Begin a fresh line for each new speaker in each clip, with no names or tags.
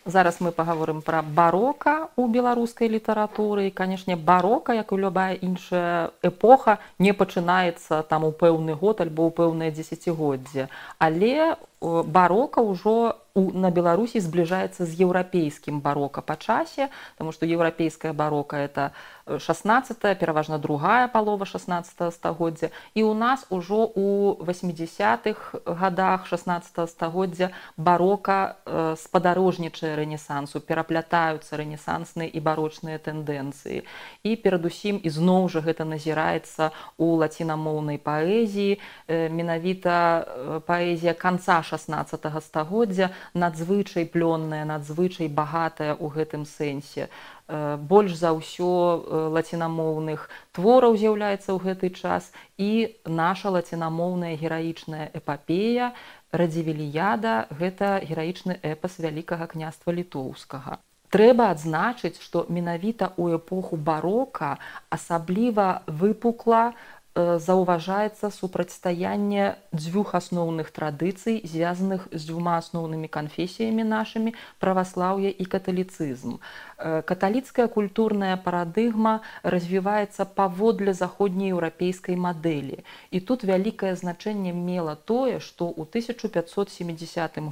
Зараз мы паговорым пра барока ў беларускай літаратуры. І, канешне, барока, як і любая іншая эпоха, не пачынаецца там у пэўны год альбо ў пэўнае дзесяцігоддзе. Але барока ўжо на Беларусі збліжаецца з еўрапейскім барока па часе, таму што еўрапейская барока это 16, пераважна другая палова 16 стагоддзя. І ў нас ужо у 80-х годах 16 стагоддзя барока спадарожнічае рэнесансу, пераплятаюцца рэнесансныя і барочныя тэндэнцыі. І перадусім ізноў жа гэта назіраецца у лацінамоўнай паэзіі. Менавіта паэзія канца 16 стагоддзя надзвычай плённая, надзвычай багатая ў гэтым сэнсе. Больш за ўсё лацінамоўных твораў з'яўляецца ў гэты час, і наша лацінамоўная гераічная эпапея Радзівіліяда – гэта гераічны эпас Вялікага княства Літоўскага. Трэба адзначыць, што менавіта ў эпоху барока асабліва выпукла заўважаецца супрацьстаянне дзвюх асноўных традыцый, звязаных з дзвюма асноўнымі канфесіямі нашымі – праваслаўе і каталіцызм. Каталіцкая культурная парадыгма развіваецца паводле заходнееўрапейскай мадэлі. І тут вялікае значэнне мела тое, што ў 1570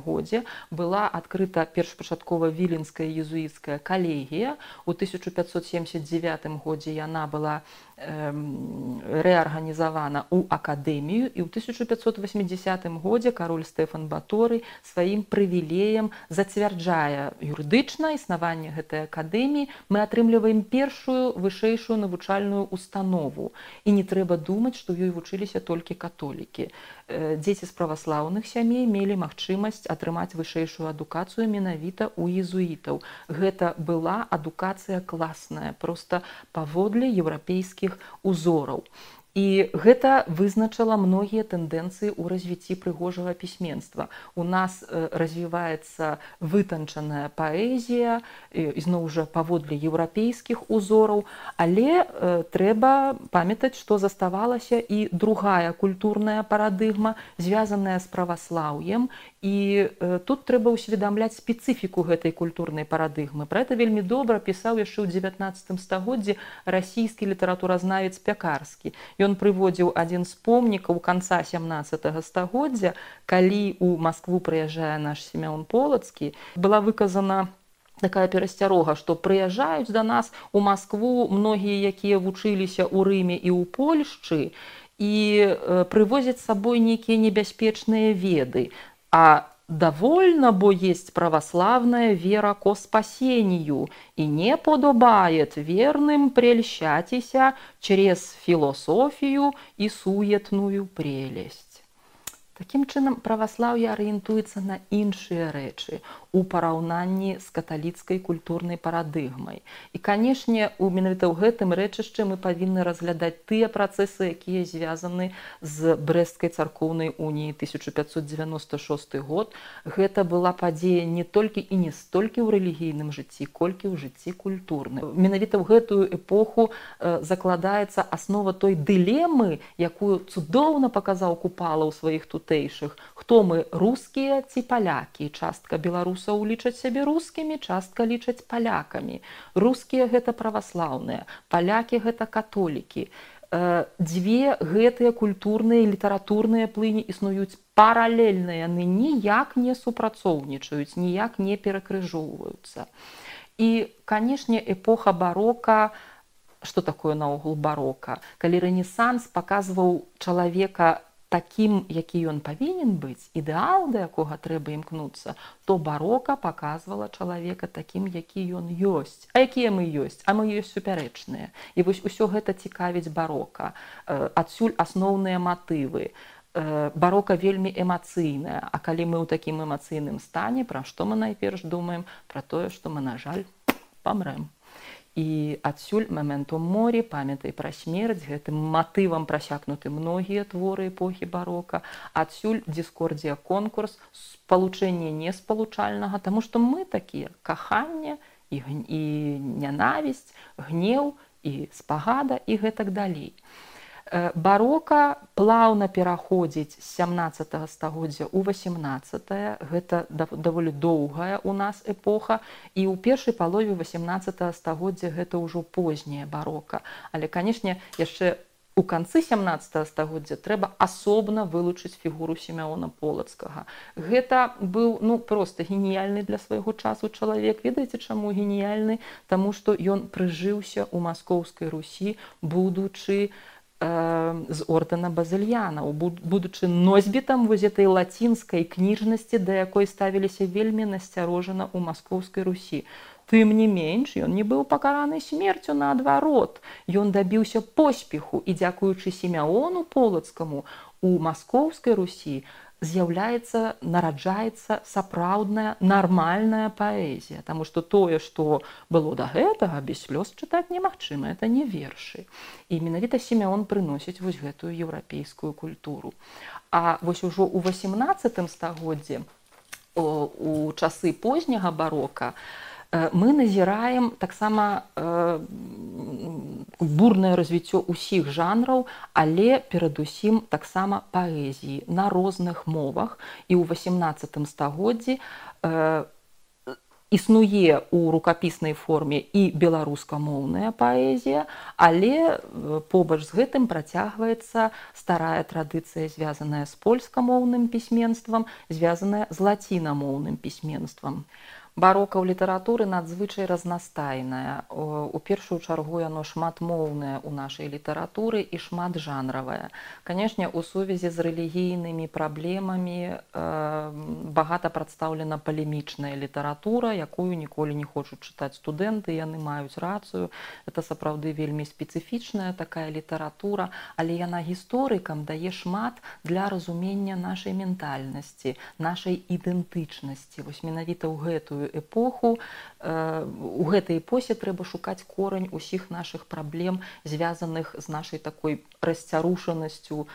годзе была адкрыта першапачаткова віленская езуіцкая калегія. У 1579 годзе яна была рэарганізавана ў акадэмію, і ў 1580 годзе кароль Стэфан Баторый сваім прывілеем зацвярджае юрыдычна існаванне гэтай акадэміі. Мы атрымліваем першую вышэйшую навучальную установу. І не трэба думаць, што ёй вучыліся толькі католікі. Дзеці з праваслаўных сямей мелі магчымасць атрымаць вышэйшую адукацыю менавіта ў езуітаў. Гэта была адукацыя класная, проста паводле еўрапейскіх узораў. І гэта вызначала многія тэндэнцыі ў развіцці прыгожага пісьменства. У нас развіваецца вытанчаная паэзія, ізноў жа паводле еўрапейскіх узораў, але трэба памятаць, што заставалася і другая культурная парадыгма, звязаная з праваслаўем. І тут трэба ўсведамляць спецыфіку гэтай культурнай парадыгмы. Пра гэта вельмі добра пісаў яшчэ ў 19 стагоддзі расійскі літаратуразнавец Пякарскі. Ён прыводзіў адзін з помнікаў канца 17 стагоддзя, калі ў Маскву прыязджае наш Сімеон Полацкі, была выказана такая перасцярога, што прыязджаюць да нас у Маскву многія, якія вучыліся ў Рыме і ў Польшчы, і прывозяць з сабой нейкія небяспечныя веды. А довольно, бо есть православная вера ко спасению, и не подобает верным прельщатися через философию и суетную прелесть. Такім чынам, праваслаўе арыентуецца на іншыя рэчы у параўнанні з каталіцкай культурнай парадыгмай. І, канешне, менавіта ў гэтым рэчышчы мы павінны разглядаць тыя працэсы, якія звязаны з Брэсцкай царкоўнай уніяй 1596 год. Гэта была падзея не толькі і не столькі ў рэлігійным жыцці, колькі ў жыцці культурным. Менавіта ў гэтую эпоху закладаецца аснова той дылемы, якую цудоўна паказаў Купала ў сваіх тутэйшых. Хто мы, рускія ці палякі? Частка беларусаў лічаць сябе рускімі, частка лічаць палякамі. Рускія гэта праваслаўныя, палякі гэта католікі. Дзве гэтыя культурныя і літаратурныя плыні існуюць паралельна, яны ніяк не супрацоўнічаюць, ніяк не перакрыжоўваюцца. І, канешне, эпоха барока, што такое наогул барока? Калі рэнесанс паказваў чалавека такім, які ён павінен быць, ідэал, да якога трэба імкнуцца, то барока паказвала чалавека такім, які ён ёсць. А якія мы ёсць? А мы ёсць супярэчныя. І вось усё гэта цікавіць барока. Адсюль асноўныя матывы. Барока вельмі эмацыйная. А калі мы ў такім эмацыйным стане, пра што мы найперш думаем? Пра тое, што мы, на жаль, памрэм. І адсюль «Мементум мори», памятай пра смерць, гэтым матывам прасякнуты многія творы эпохі барока. Адсюль дыскордзія конкурс, спалучэнне неспалучальнага, таму што мы такія: каханне і нянавісць, гнеў і спагада і гэтак далей. Барока плаўна пераходзіць з 17 стагоддзя ў 18. Гэта даволі доўгая у нас эпоха, і ў першай палове 18 стагоддзя гэта ўжо позняя барока. Але, канешне, яшчэ у канцы 17 стагоддзя трэба асобна вылучыць фігуру Сімеона Полацкага. Гэта быў проста геніяльны для свайго часу чалавек. Ведаеце, чаму геніяльны? Таму што ён прыжыўся ў Маскоўскай Русі, будучы з ордэна Базыльянаў, будучы носьбітам вось гэтай лацінскай кніжнасці, да якой ставіліся вельмі насцярожана ў Маскоўскай Русі. Тым не менш, ён не быў пакараны смерцю, наадварот. Ён дабіўся поспеху, і дзякуючы Сімеону Полацкаму у Маскоўскай Русі нараджаецца сапраўдная нармальная паэзія. Таму што тое, што было да гэтага, без слёз чытаць немагчыма, это не вершы. І менавіта Сімеон прыносіць вось гэтую еўрапейскую культуру. А вось ужо ў 18 стагоддзі, у часы позняга барока, мы назіраем таксама бурнае развіццё ўсіх жанраў, але перадусім таксама паэзіі на розных мовах. І ў 18 стагоддзі існуе ў рукапіснай форме і беларускамоўная паэзія, але побач з гэтым працягваецца старая традыцыя, звязаная з польскамоўным пісьменствам, звязаная з лацінамоўным пісьменствам. Барока ў літаратуры надзвычай разнастайная. У першую чаргу яно шматмоўнае ў нашай літаратуры і шматжанравае. Канешне, у сувязі з рэлігійнымі праблемамі багата прадстаўлена палемічная літаратура, якую ніколі не хочуць чытаць студэнты, яны маюць рацыю. Это сапраўды вельмі спецыфічная такая літаратура, але яна гісторыкам дае шмат для разумення нашай ментальнасці, нашай ідэнтычнасці. Вось менавіта ў гэтую эпоху, у гэтай эпосе трэба шукаць корань усіх нашых праблем, звязаных з нашай такой расцярушанасцю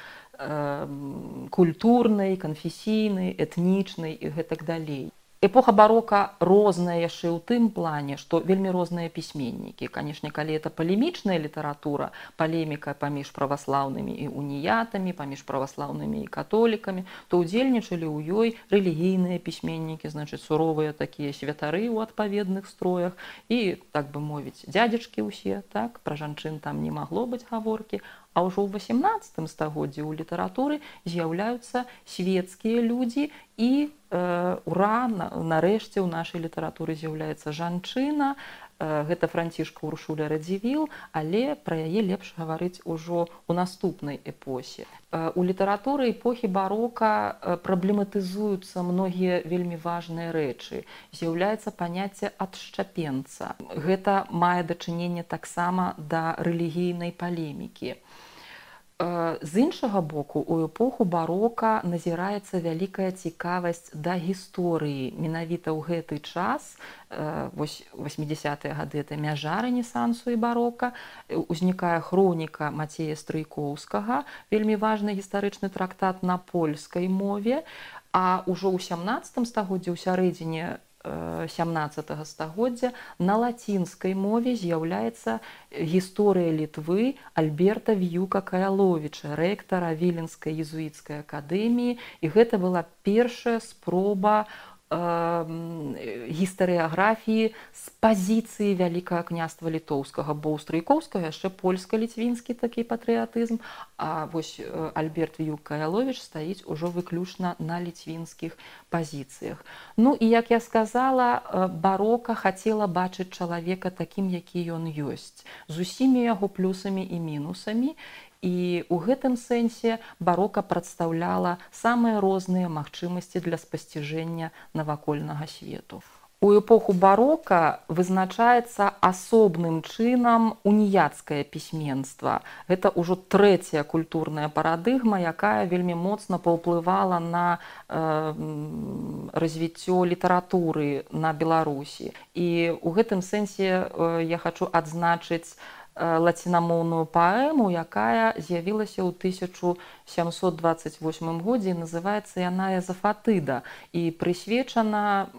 культурнай, канфесійнай, этнічнай і гэтак далей. Эпоха барока розная яшчэ ў тым плане, што вельмі розныя пісьменнікі. Канешне, калі это палемічная літаратура, палеміка паміж праваслаўнымі і уніятамі, паміж праваслаўнымі і католікамі, то ўдзельнічалі ў ёй рэлігійныя пісьменнікі, значыць, суровыя такія святары ў адпаведных строях і, так бы мовіць, дзядзечкі ўсе, так, пра жанчын там не магло быць гаворкі. А ўжо ў 18 стагоддзі ў літаратуры з'яўляюцца свецкія людзі і нарэшце ў нашай літаратуры з'яўляецца жанчына. Гэта Францішка Уршуля Радзівіл, але пра яе лепш гаварыць ужо ў наступнай эпосе. У літаратуры эпохі барока праблематызуюцца многія вельмі важныя рэчы. З'яўляецца паняцце адшчапенца. Гэта мае дачыненне таксама да рэлігійнай палемікі. З іншага боку, у эпоху барока назіраецца вялікая цікавасць да гісторыі. Менавіта ў гэты час, вось 80-е гады, это мяжа рэнесансу і барока, узнікае хроніка Мацея Стрыйкоўскага, вельмі важны гістарычны трактат на польскай мове, а ўжо ў 17 стагоддзі, ў сярэдзіне 17 стагоддзя на лацінскай мове з'яўляецца гісторыя Літвы Альберта Віюка-Каяловіча, рэктара Віленскай езуіцкай акадэміі, і гэта была першая спроба гістарыяграфіі з пазіцыі Вялікага княства Літоўскага, бо ў Стрыйкоўскага яшчэ польска-літвінскі такі патрыятызм, а вось Альберт Віюк-Каяловіч стаіць ужо выключна на літвінскіх пазіцыях. Ну і, як я сказала, барока хацела бачыць чалавека такім, які ён ёсць, з усімі яго плюсамі і мінусамі. І ў гэтым сэнсе барока прадстаўляла самыя розныя магчымасці для спасціжэння навакольнага свету. У эпоху барока вызначаецца асобным чынам уніяцкае пісьменства. Гэта ўжо трэцяя культурная парадыгма, якая вельмі моцна паўплывала на развіццё літаратуры на Беларусі. І ў гэтым сэнсе я хачу адзначыць лацінамоўную паэму, якая з'явілася ў 1728 годзе, і называецца яна «Езафатыда» і прысвечана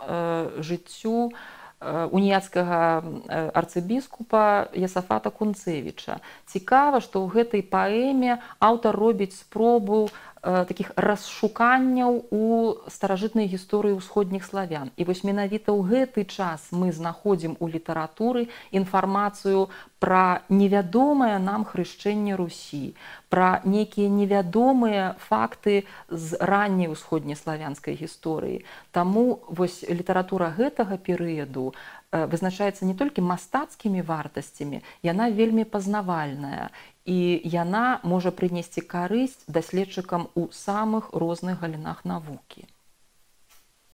жыццю уніяцкага арцыбіскупа Ясафата Кунцевіча. Цікава, што ў гэтай паэме аўтар робіць спробу такіх расшуканняў у старажытнай гісторыі ўсходніх славян. І вось менавіта ў гэты час мы знаходзім у літаратуры інфармацыю пра невядомае нам хрышчэнне Русі, пра нейкія невядомыя факты з ранняй усходнеславянскай гісторыі. Таму вось літаратура гэтага перыяду вызначаецца не толькі мастацкімі вартасцямі, яна вельмі пазнавальная. І яна можа прынесці карысць даследчыкам у самых розных галінах навукі.